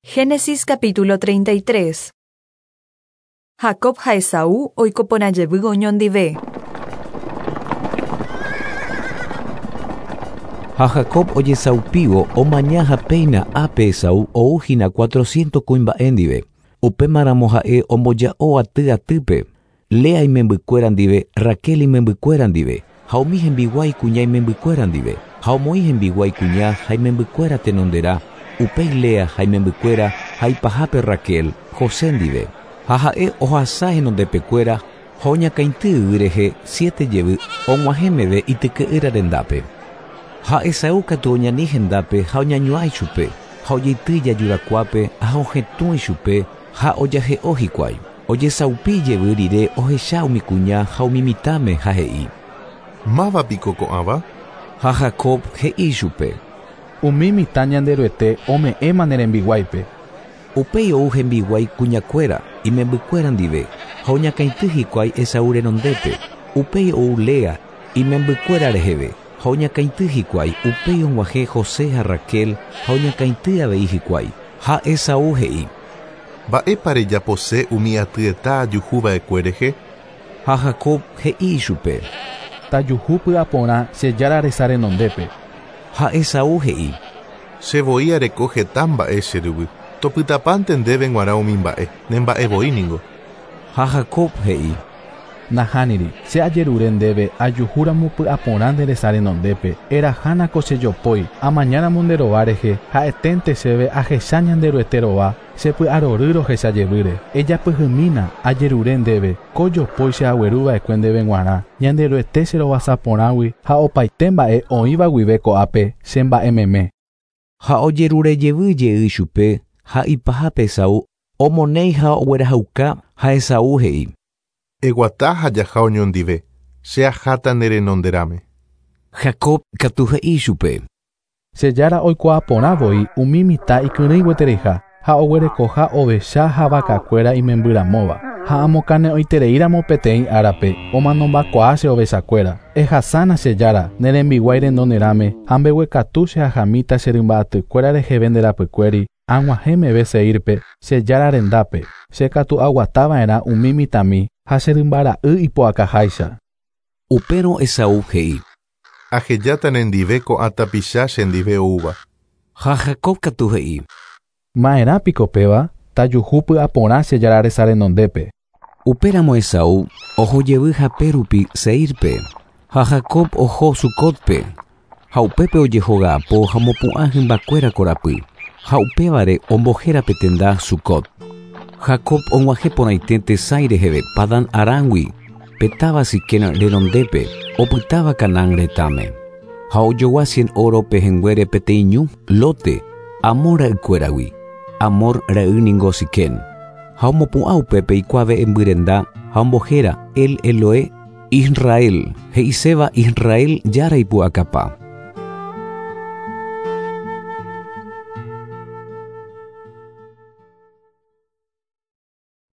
Génesis capítulo 33. Jacob ha Esaú oiko porã jevy oñondive. Ha Jacob ojesaupívo omaña ha péina ápe Esaú ou hína cuatrocientos kuimba'e ndive. Upémaramo ha'e omboja'o aty atýpe, Lea imembykuéra ndive, Raquel imembykuéra ndive, ha umi hembiguái kuña imembykuéra ndive, ha omoĩ hembiguái kuña ha imembykuéra tenonderã, upéi Lea ha imembykuéra ha ipahápe Raquel, José ndive. Ha ha'e ohasa henondepekuéra ha oñakãity yvy rehe siete jevy og̃uahẽ meve ityke'ýra rendápe. Ha Esaú katu oñani hendápe ha oñañuã ichupe, ha ojeity ijajurakuápe ha ohetũ ichupe ha ojahe'o hikuái. Ojesaupi jevy rire ohecha umi kuña ha umi mitãme ha he'i. Máva piko ko'ãva? Ha Jacob he'i ichupe. Umi mitã Ñanderuete ome'ẽma ne rembiguáipe. Upéi ou hembiguái kuñakuéra, imembykuéra ndive, ha oñakãity hikuái Esaú renondépe. Upéi ou Lea, imembykuéra reheve, ha oñakãity hikuái, upéi og̃uahẽ José ha Raquel, ha oñakãity avei hikuái. Ha Esaú he'i. Mba'épa rejapose umi atyeta ajuhu va'ekue rehe? Ha Jacob he'i ichupe. Tajuhu py'aporã che Jára resa renondépe. Ha Esaú he'i. Che voi areko heta mba'e che ryvy. Topytapánte ndéve g̃uarã umi mba'e, ne mba'e voi ningo. Ha Jacob he'i. Nahániri, che ajerure ndéve ajuhúramo py'aporã nde resa renondépe, erahána ko che jopói, amañáramo nde rova rehe, ha'eténte chéve ahecha Ñanderuete rova, che py'arory rohecha jevýre. Ejapyhymína, ajerure ndéve, ko jopói che agueru va'ekue ndéve g̃uarã, Ñanderuete che rovasa porãgui ha opaite mba'e oĩva guive ko'ápe che mba'e meme. Ha ojerure jevy jey ichupe ha ipahápe Esaú omonéi ha oguerahauka ha Esaú he'i. Eguata ha jaha oñondive, che aháta ne renonderãme. Jacob katu he'i ichupe. Che Jára oikuaa porã voi umi mitã ikyrỹi gueteriha ha oguerekoha ovecha ha vakakuéra imembyramóva. Ha amokane'õitereíramo peteĩ árape, omanombakuaa che ovechakuéra. Ehasána che Jára, ne rembiguái renonderãme, ha mbeguekatu che ahamíta che rymba'atykuéra reheve nde rapykuéri, ag̃uahẽ meve Seírpe, che Jára rendápe. Che katu aguata va'erã umi mitãmi ha che rymba ra'y ipu'akaháicha. Upérõ Esaú he'i. Ahejáta nendive ko'ã tapicha chendive oúva. Ha Jacob katu he'i. Ma'erã piko péva, tajuhu py'aporã che Jára resa renondépe. Upéramo Esaú oho jevy hape rupi Seírpe, ha Jacob oho Sucótpe, ha upépe ojehoga'apo ha omopu'ã hymbakuéra korapy, ha upévare ombohéra pe tenda Sucot. Jacob og̃uahẽ porãite tesãi reheve Padán Arámgui, pe táva Siquem renondépe, opytáva Canaán retãme. Ha ojogua cien óro pehẽnguére peteĩ ñu, lóte, Hamor ra'ykuéragui. Hamor ra'y ningo Siquem. Ha omopu'ã upépe ikuave'ẽmby renda ha ombohéra El Elohe Israel, he'iséva Israel Jára ipu'akapa.